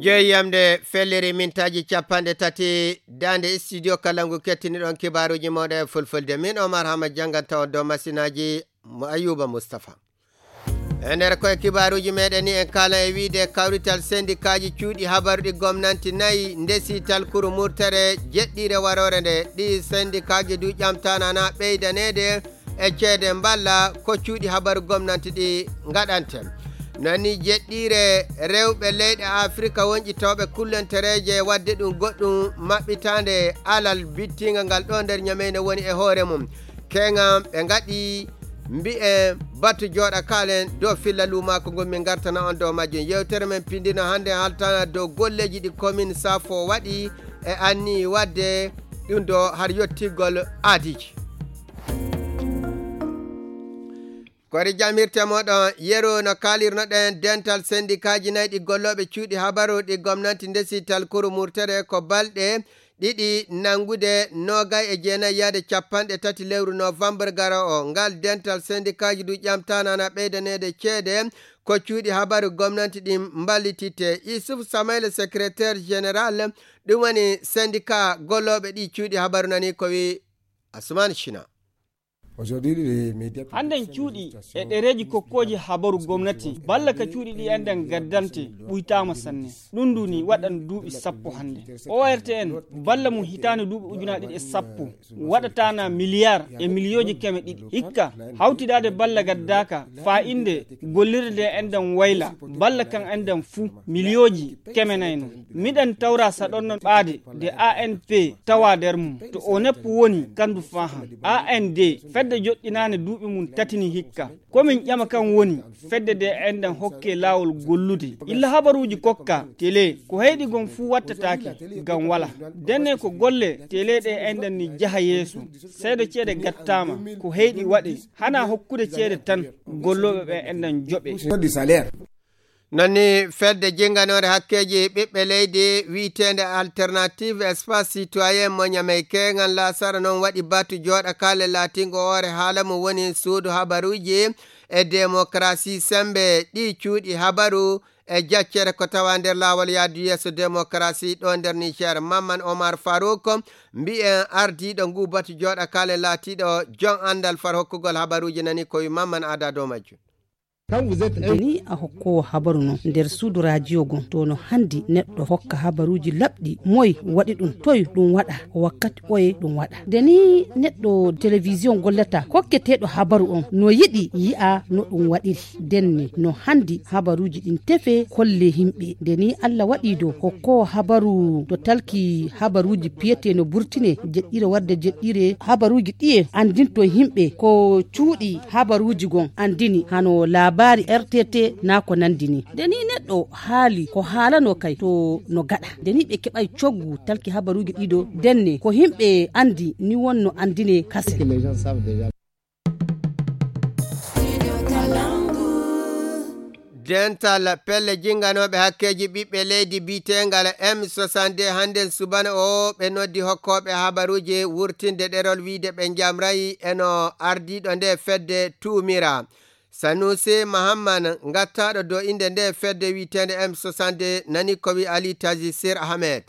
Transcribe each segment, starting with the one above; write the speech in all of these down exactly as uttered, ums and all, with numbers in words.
Jeeyamde fellere mintaaji capanɗe tati, daande studio kala ngu kettiniɗon kibaaruuji mooɗon e fulfulde. Min Omar Hama jannganta on dow masinaaji mo Ayuba Mustafa. E nder koye kibaaruuji meɗen ni en kaala e wiide kawrital sendikaaji cuuɗi habaru ɗi gomnanti nayi ndesi talkuru murtere jeɗɗiire waroore nde. Ɗi sendikaaji du ƴamtaana na ɓeydaneede e ceede mballa ko cuuɗi habaru gomnanti ɗi ngaɗante. Nani jeɗɗiire rewɓe leyɗe Afrika wonƴitooɓe kullentereeje waɗde ɗum goɗɗum maɓɓitaande alal bittiinga ngal ɗo nder ñameyne woni e hoore mum. Keŋa ɓe ngaɗi mbi'en batu jooɗa kaalen dow filla luumaako ngon min ngartana on dow majjum. Yewtere men pindino hannde haltana dow golleeji ɗi komin Safo waɗi e anni waɗde ɗum ɗo har yottigol aadiiji. Kori jamirte moɗon yeru no kalirnoɗen dental sendikaaji nayi ɗi gollooɓe cuuɗi habaru ɗi gomnanti ndesi talkuru murtere ko balɗe ɗiɗi nanngude noogay e jeenayi yaade capanɗe tati lewru novembre garo o. Ngal dental sendikaaji du ƴamtaana na ɓeydaneede ceede ko cuuɗi habaru gomnanti ɗin mballititte. Isuf Samaila, secrétaire général, ɗum woni syndicat gollooɓe ɗi cuuɗi habaru nani ko wi Asman Shina. Aujourd'hui, les médias publics Hannden sont cuuɗi e ɗereeji kokkooji habaru gomnati balla ka cuuɗi ɗi enɗen gaddante ɓuytaama sanne. Ɗum ndu ni waɗan duuɓi sappo hannde. O R T N balla mum hitaande duuɓi ujunaaji ɗiɗi e sappo waɗataana miliyaar e miliyooji keme ɗiɗi. Hikka hawtidaade balla gaddaaka faa innde gollirde nde enɗen wayla balla kan enɗen fuu miliyooji keme nayi non. Miɗen tawra saɗonno ɓaade nde A N P tawa nder mum. To O N E P woni kandu faahan. A N D fedde joɗɗinaane duuɓi mum tatini hikka. Ko min ƴama kan woni fedde nde enɗen hokke laawol gollude. Illa habaruuji kokka tele ko heyɗi gon fuu wattataake ngam wala. Denne ko golle tele ɗe enɗen ni jaha yeeso. Seedo ceede gattaama ko heyɗi waɗe. Hana hokkude ceede tan gollooɓe ɓe enɗen joɓe. Sur du salaire. Nani fedde jinnganoore hakkeeji ɓiɓɓe leydi wiyeteende Alternative Espace Citoyen mo Ñamey keeŋan Laasara noon waɗi batu jooɗa kaale laatingo hoore haala mo woni suudu habaruuji e demokarasi sembe ɗi cuuɗi habaru e jaccere ko tawa nder laawol yaadu yeeso demokarasi ɗo nder Niger. Mamman Omar Farouk mbiyen ardiiɗo ngu batu jooɗa kaale laatiiɗo jon anndal far hokkugol habaruuji nani ko wi Mamman Ada dow majjum. Nde ni a hokkoowo habaru non nder suudu rajiyo gon to no handi neɗɗo hokka habaruuji laɓɗi moy waɗi ɗum toy ɗum waɗa wakkati oye ɗum waɗa. Nde ni neɗɗo television gollata kokketeeɗo habaru on no yiɗi yi'a no ɗum waɗiri. Denne no handi habaruuji ɗin tefe kolle himɓe nde ni Allah waɗi do hokkoowo habaru to talki habaruuji piyete no burtine jeɗɗire warde jeɗɗire habaruuji ɗiye andinto himɓe ko cuuɗi habaruuji gon andini hano laabaari R T T na ko nandini. Nde ni neɗɗo haali ko haalano kay to no gaɗa nde ni ɓe keɓay coggu talki habaruuji ɗiɗo denne ko himɓe andi ni wonno andine kase. Dental pelle jinganooɓe hakkeeji ɓiɓɓe leydi biitengal M soixante-deux hannden subana o ɓe noddi hokkooɓe habaruuji wurtinde ɗerol wiide ɓe njamray eno ardiiɗo nde fedde tuumira. Sanusi Mahamman ngattaaɗo do innde nde fedde wiiteende M soixante-deux nani ko wi Ali Tazi Sir Ahmed.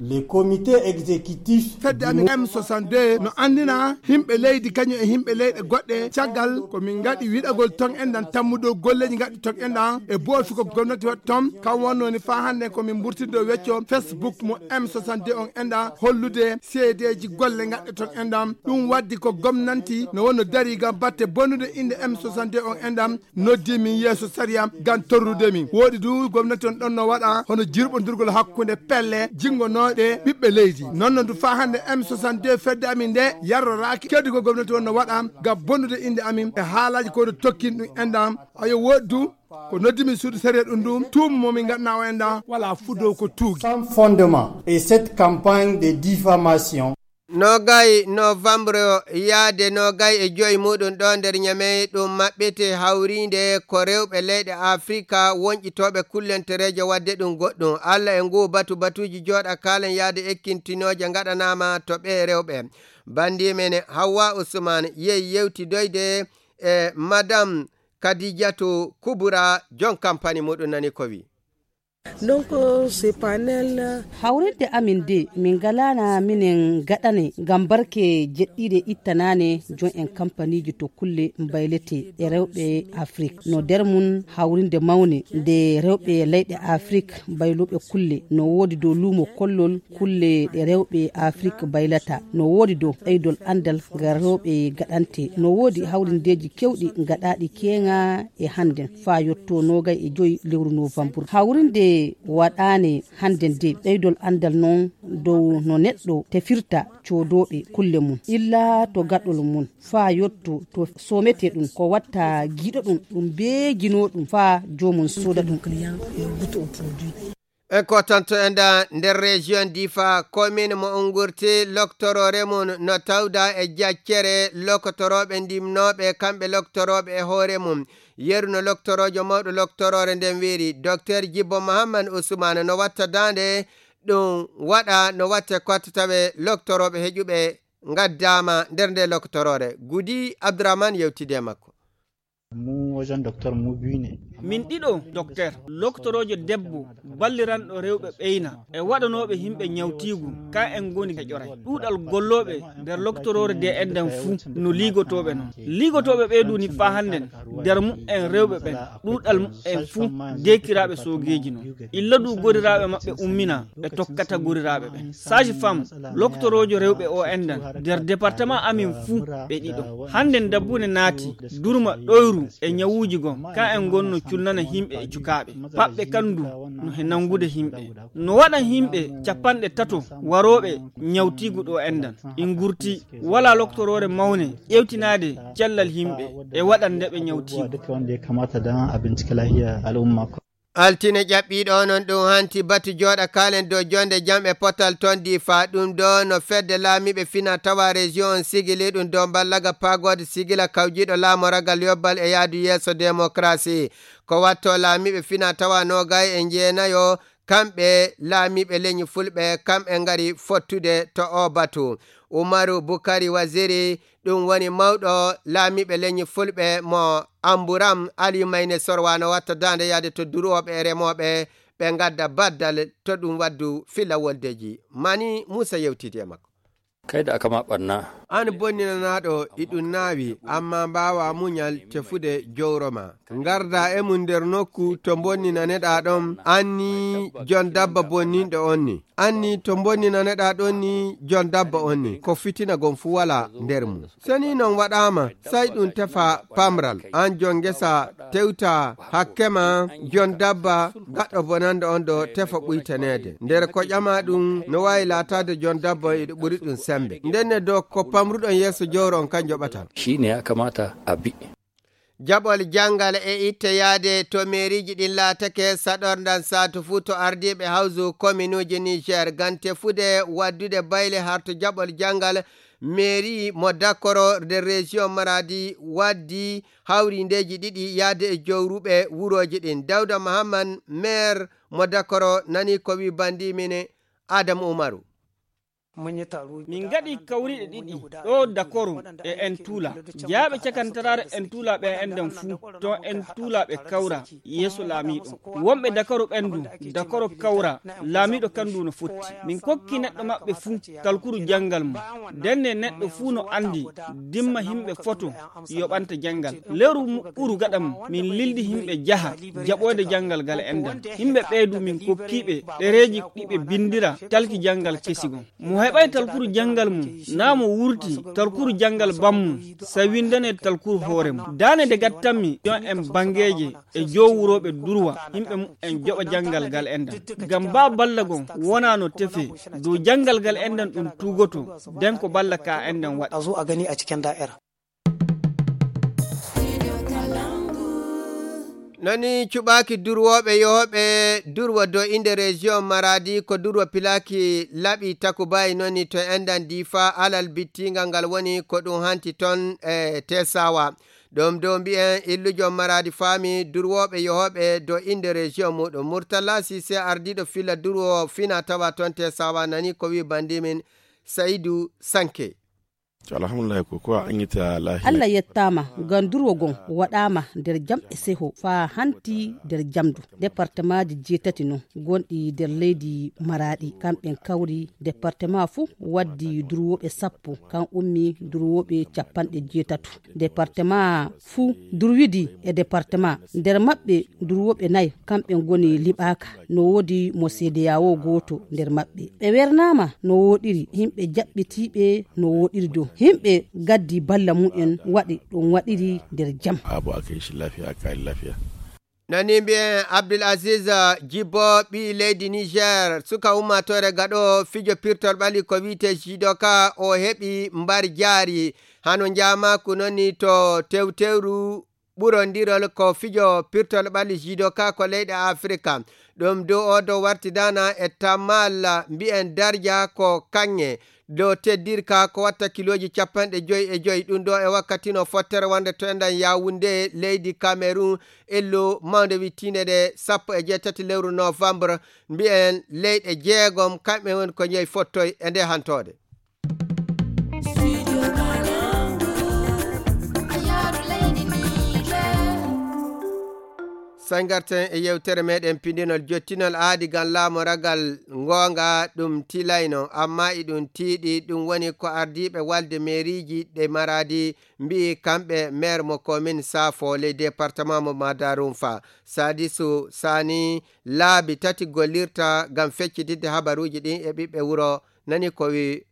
Le comité exécutif fedde amin M soixante-deux no anndina himɓe leydi kañum e himɓe leyɗe goɗɗe caggal ko min ngaɗi wiɗagol ton enɗan tammuɗo golleeji ngaɗɗi ton enɗan e boofigol gomnati waɗi ton kam wonnoo ni faa hannde ko min mburtindo wecco Facebook mo M soixante-deux on enɗan hollude seedeeji golle ngaɗɗe ton enɗan ɗum waddi ko gomnanti no wonno dari ngam batte bonnude innde M soixante-deux on enɗan noddi min yeeso sariya ngam torrude min. Woɗi du gomnati on ɗon no waɗa hono jirɓondirgol hakkunde pelle jingonooɗe ɓiɓɓe leydi. Non no du faa hannde M soixante-deux fedde amin nde yarroraaki keddugol gomnati on no waɗa ngam bonnude innde amin e haalaaji ko no tokkin ɗum enɗan. Ayo woɗi du ko noddi min suudu sariya ɗum du tuuma mo min ngaɗna o enɗan wala fudo ko tuugi. Sans fondement et cette campagne de diffamation. Noogay novembre yaade noogay e joyi muɗum ɗo nder Ñamey ɗum maɓɓete hawriinde ko rewɓe leyɗe Afrika wonƴitooɓe kullentereeje waɗde ɗum goɗɗum. Alla e nguu batu batuuji jooɗa kaalen yaade ekkintinooje ngaɗanaama to ɓee rewɓe. Banndii men Hawwa Usman yehi yewtidoyde e Madame Kadijatu Kubura jon kampani muɗum nani ko wi. Donc, ce panel, hawrinde amin de, min ngalaana minen gaɗane ngam barke jeɗɗiiɗe ittanaane jon en kampaniiji to kulle mbaylete e rewɓe Afrik. No nder mum hawrinde mawne nde rewɓe leyɗe Afrik mbayluɓe kulle. No woodi dow luumo kollol kulle ɗe rewɓe Afrik mbaylata. No woodi dow ɓeydol anndal ngal rewɓe gaɗante. No woodi hawrindeeji kewɗi gaɗaaɗi keeŋa e hannden faa yotto noogay e joy lewru novembre. Hawrinde waɗaane hannden de ɓeydol anndal non dow no neɗɗo tefirta coodooɓe kulle mum, illa to gaɗol mum, faa yotto to soomete ɗum, ko watta giɗo ɗum, ɗum bee ginoo ɗum, faa joomum sooda ɗum. En kotanto enda nder région Difa, commune mo Ungurti, loktoroore mum no tawda e jaccere lokotoroɓe ndimnoɓe, kamɓe loktoroɓe e hoore mum. Yeru no loktoroojo mawɗo loktoroore nden wiiri, Docteur Jibbo Mohammad Usmane no watta daande ɗum waɗa no watte kotta tawe loktorooɓe heƴuɓe ngaddaama nder nde lokotoroore. Gudi Abdourahmane yewtidi e makko. Mu wajen Docteur mu biyu ne. Min ɗiɗo, Docteur, loktoroojo debbo, balliranɗo rewɓe ɓeyna, e waɗanooɓe yimɓe ñawtiigu, ka en ngoni heƴoray. Ɗuuɗal gollooɓe nder lokotoroore de enɗan fuu no liigotooɓe non. Liigotooɓe ɓee du ni faa hannden, nder mu'en rewɓe ɓen, ɗuuɗal mu'en fuu deekiraaɓe soogeeji non. Illa du goriraaɓe maɓɓe ummina, ɓe tokkata goriraaɓe ɓen. Sage femme, loktoroojo rewɓe o enɗan, nder département amin fuu ɓe ɗiɗo. Hannden dabbune naati, durma ɗoyru e ñawuuji goo, ka en ngonno cunnana yimɓe e cukaaɓe. Paɓɓe kan du no he nanngude yimɓe. No waɗan yimɓe capanɗe tato warooɓe ñawtiigu ɗo enɗan. Ingurti, walaa loktoroore mawne ƴewtinaade cellal yimɓe e waɗan nde ɓe ñawtiigu. Duka wanda ya kamata don a binciki lahiyar al'umma. Altine ƴaɓɓiiɗo onon ɗum hanti batu jooɗa kaalen dow jonde jam e potal ton Difa. Ɗum ɗo no fedde laamiiɓe fina tawa région on sigili ɗum dow mballaga pagode sigila kawjiiɗo laamoragal yobbal e yaadu yeeso démocratie. Ko watto laamiiɓe fina tawa noogay e jeenayo, kamɓe laamiiɓe leñi fulɓe, kam e ngari fottude to o batu. Umaru Bukari Waziri, ɗum woni mawɗo laamiiɓe leñi fulɓe mo Amburam Aliyu Mayne Sorwa no watta daande yaade to durooɓe e remooɓe ɓe ngadda baddal to ɗum waddu fila woldeji. Mani Muusa yewtidi e makko. Kai da aka ma ɓanna. An bonninanaaɗo, iɗum naawi, amma mbaawa muñal tefude jowro ma. Ngarda e mum nder nokku to bonninaneɗaa ɗon, anni jon dabba bonninɗo on ni. Anni to bonninaneɗaa ɗon ni jon dabba on ni, ko fitina gon fu wala nder mum. So ni non waɗaama, sai ɗum tefa pamral. An jon ngesa, tewta hakke ma, jon dabba gaɗɗo bonanɗo on ɗo tefa ɓuytaneede. Nder ko ƴama ɗum no waawi laataade jon dabba on iɗo ɓuri ɗum sembe. Ndenne do ko pamruɗon yeeso jowro on kan joɓata. Shi ne ya kamata a bi. Jaɓol janngal e itte yaade to meeriiji ɗin laatake saɗorndan saatu fuu to ardiiɓe hawsu kominuuji Niger ngam tefude waddude bayle har to jaɓol janngal. Meeri mo Dakoro nder région Maradi waddi hawrindeeji ɗiɗi yaade e jowruɓe wurooji ɗin. Dawda Mahamman, maire mo Dakoro, nani ko wi bandi min Adamu Umaru. Min ngaɗi kawriɗe ɗiɗi ɗo Dakoro e Entula. Jeyaaɓe cakantaraare Entula ɓe enɗan fuu, to Entula ɓe kawra yeeso laamiiɗo. Wonɓe Dakoro ɓen du, Dakoro kawra, laamiiɗo kan du no fotti. Min kokki neɗɗo maɓɓe fuu talkuru janngal mum. Ndenne neɗɗo fuu no anndi dimma yimɓe foto yoɓanta janngal. Lewru mu-, ɓuru gaɗa mum, min lildi yimɓe jaha jaɓoyde janngal gal enɗan. Yimɓe ɓee du min kokkiiɓe ɗereeji ɗi ɓe binndira talki janngal kesi gon. Mo heɓay talkuru janngal mum, naa mo wurti talkuru janngal bammum, sa winndane talkuru hoore mum. Daane nde gattanmi, jon en banngeeje e jowurooɓe durwa, yimɓe mum en joɓa janngal gal enɗan. Ngam baa balla gon wonaa no tefe dow janngal gal enɗan ɗum tuugoto, den ko balla ka enɗan waɗa. A zo a gani a cikin da'ira. Noni cuɓaaki durwooɓe yohooɓe durwa do inde région Maradi ko durwa pilaaki laɓi takubayi noni to enɗan Difa alal bittingal ngal woni ko ɗum hanti ton e Tesawa. Ɗum do mbi'en illujo Maradi faami durwooɓe yohooɓe do inde région muɗum. Murtala Sise ardiiɗo fila durwo fina tawa ton Tesawa nani ko wi bandimin Saidu Sanke. Alhamdulillahi, ko ko a aŋŋita laahiya. Allah yettaama, ngam durwo ngon waɗaama nder jam e seho faa hanti nder jam du. Departemaaji jeetati non gonɗi nder leydi Maraɗi, kamɓen kawri departemaa fuu waddi durwooɓe sappo, kam ummi durwooɓe capanɗe jeetato. Departemaa fuu durwidi e departemaa. Nder maɓɓe durwooɓe nay, kamɓe ngoni liɓaaka. No woodi mo seedeyaawo gooto nder maɓɓe. Ɓe wernaama no wooɗiri, yimɓe jaɓɓitiiɓe no wooɗiri dow. Yimɓe gaddi balla mum en waɗi ɗum waɗiri nder jam. Abu a kai shi lafiya, a kari lafiya. Nani mbiyen Abdul Aziz Jibo, ɓii leydi Niger, suka ummaatoore gaɗo fijo pirtol ɓali ko wiyetee judoka, o heɓi mbar jaari. Hano njaamaaku noni to tewtewru ɓurondirol ko fijo pirtol ɓali judoka ko leyɗe Afrika. Ɗum dow o dow wartidaana e tammal mbiyen darja ko kaŋŋe. Dow teddirka ko watta kilooji capanɗe joyi e joyi. Ɗum ɗo e wakkati no fottere wonde to enɗan Yaoundé, leydi Cameroun, illu mawnde wittiinde ɗe sappo e jeetati lewru novembre. Mbiyen leyɗe jeegom, kamɓe woni ko jeyi fottoy e nde hantoode. Sangarten e yewtere meɗen pindinol jottinol aadi gam laamu ragal ngoonga ɗum tilayno, amma iɗum tiiɗi, ɗum woni ko ardiiɓe walde meeriiji ɗe Maraadi mbi'i kamɓe meer mo komin Saafo ley departement mo Madarumfa. Sadisu Sani laabi tati gollirta gam feccitidde habaruuji ɗin e ɓiɓɓe wuro, nani ko wi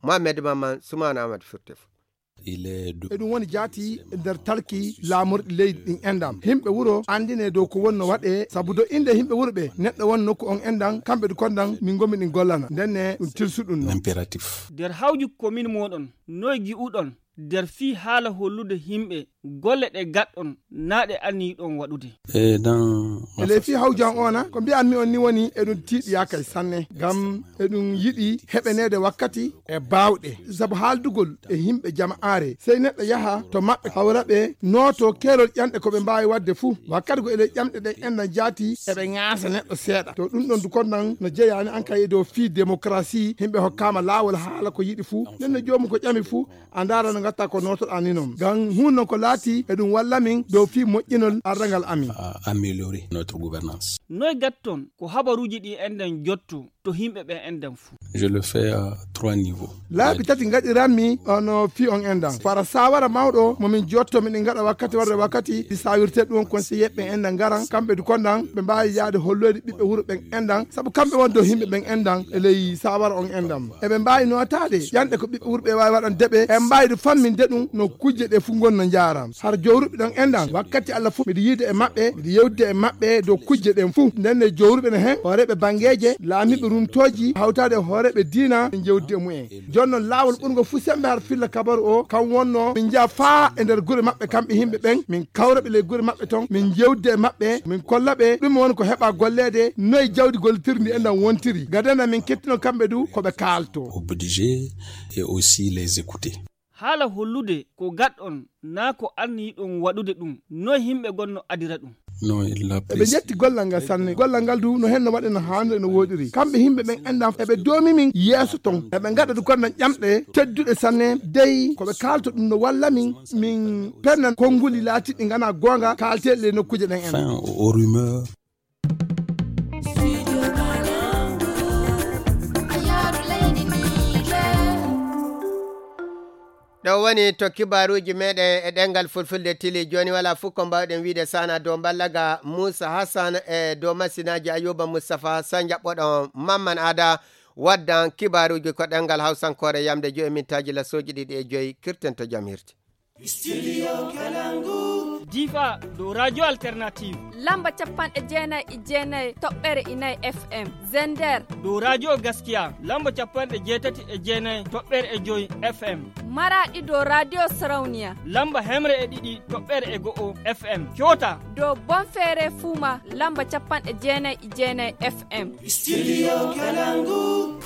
Mohamed Maman Soumana Amadou Firtefo. Eɗum woni jaati e nder talki laamorɗi leydi ɗin enɗam. Yimɓe wuro anndine dow ko wonno waɗe, sabu do innde yimɓe wuro ɓe, neɗɗo won nokku on enɗam, kamɓe ɗi konɗam, min ngomi ɗin gollana. Ndenne ɗum tilsu ɗum non. Impératif. Nder hawju komin mooɗon, noy gi'uɗon nder fii haala hollude yimɓe golle ɗe gaɗɗon naa ɗe anniyiɗon waɗude? E dans E ley fii hawju an ona, ko mbi'anmi on ni woni eɗum tiiɗi yaakay sanne, ngam eɗum yiɗi heɓaneede wakkati e baawɗe. Sabu haaldugol e yimɓe jama'aare, sey neɗɗo yaha to maɓɓe, hawra ɓe, nooto keerol ƴamɗe ko ɓe mbaawi waɗde fuu. Wakkati go e ley ƴamɗe ɗen enɗan jaati, eɓe ŋaasa neɗɗo seeɗa. To ɗum ɗon du konɗan no jeyaani an kay e dow fii démocratie, yimɓe hokkaama laawol haala ko yiɗi fuu. Nden no joomum ko ƴami fuu, a ndaara no ngatta ko nootoɗaa ni non. Ngam huun non ko laati eɗum walla min dow fii moƴƴinol arrangal amin. À améliorer notre gouvernance. Noy gatton ko habaruuji ɗi enɗan jotto to yimɓe ɓen enɗan fuu? Je le fais à trois niveaux. Laabi tati ngaɗiranmi ono fii on enɗan. Fara saawara mawɗo mo min jotto miɗen ngaɗa wakkati warde wakkati, ɗi saawirte ɗum conseiller ɓen enɗan ngaran, kamɓe du konɗan ɓe mbaawi yaade holloyde ɓiɓɓe wuro ɓen enɗan, sabu kamɓe won dow yimɓe ɓen enɗan e ley saawara on enɗan. Eɓe mbaawi nootaade ƴamɗe ko ɓiɓɓe wuro ɓe waawi waɗande ɓe, ɓe mbaawi du famminde ɗum no kujje ɗe fuu ngon no njaara. Har jowruɓe ɗon enɗan, wakkati Allah fuu miɗo yiide e maɓɓe, miɗo yewtide e maɓɓe dow kujje ɗen fuu. Nden ne jowruɓe ne hen, hooreeɓe banngeeje, laamiiɓe rumtooji, hawtaade e hooreeɓe diina, min jewtide e mumen. Jooni non laawol ɓurngol fuu semmbe har filla kabaru o, kam wonno min njaha faa e nder gure maɓɓe kamɓe yimɓe ɓen, min kawra ɓe ley gure maɓɓe ton, min jewtide e maɓɓe, min kolla ɓe ɗum woni ko heɓa golleede, noye jawdi gollitirndi enɗan wontiri. Gadana min kettino kamɓe du ko ɓe kaalto. Obligé et aussi les écouter. Haala hollude ko gaɗɗon naa ko anniyiɗon waɗude ɗum, noy yimɓe gonno adira ɗum? Non, il l'a Eɓe précisé. Ƴetti gollal ngal sanne. Gollal ngal du no hen no waɗi no haaniri no wooɗiri. Kamɓe yimɓe ɓen enɗan eɓe doomi min yeeso ton. Eɓe ngaɗa du konɗan ƴamɗe tedduɗe sanne. Dey ko ɓe kaalto ɗum no walla min, min penna konnguli laatiɗi ngana goonga kaalteeɗi ley nokkuuje ɗen en. Enfin, aux rumeurs. Ɗo woni to kibaaruuji meɗen e ɗemngal fulfulde tili. Jooni walaa fof ko mbaawɗen wiyde sana dow mballaga Moussa Hassan e dow masinaaji Ayuba Moustapha. Sa njaɓɓoɗon Mamman Ada waddan kibaaruuji ko ɗemngal hawsankoore yamde joyi mintaaji lasooji ɗiɗi e joyi. Kirten to jam hirti. Studio Kalangu. Difa dow Radio Alternative. Lamba capanɗe jeenayi e jeenayi toɓɓere inayi F M. Zender. Dow Radio Gaskiya. Lamba capanɗe jeetati e jeenayi toɓɓere e joyi F M. Maraɗi dow Radio Sarauniya. Lamba hemre e ɗiɗi toɓɓere e go'o F M. Kyota. Dow Bonfere Fuma. Lamba capanɗe jeenayi e jeenayi F M. Studio Kalangu.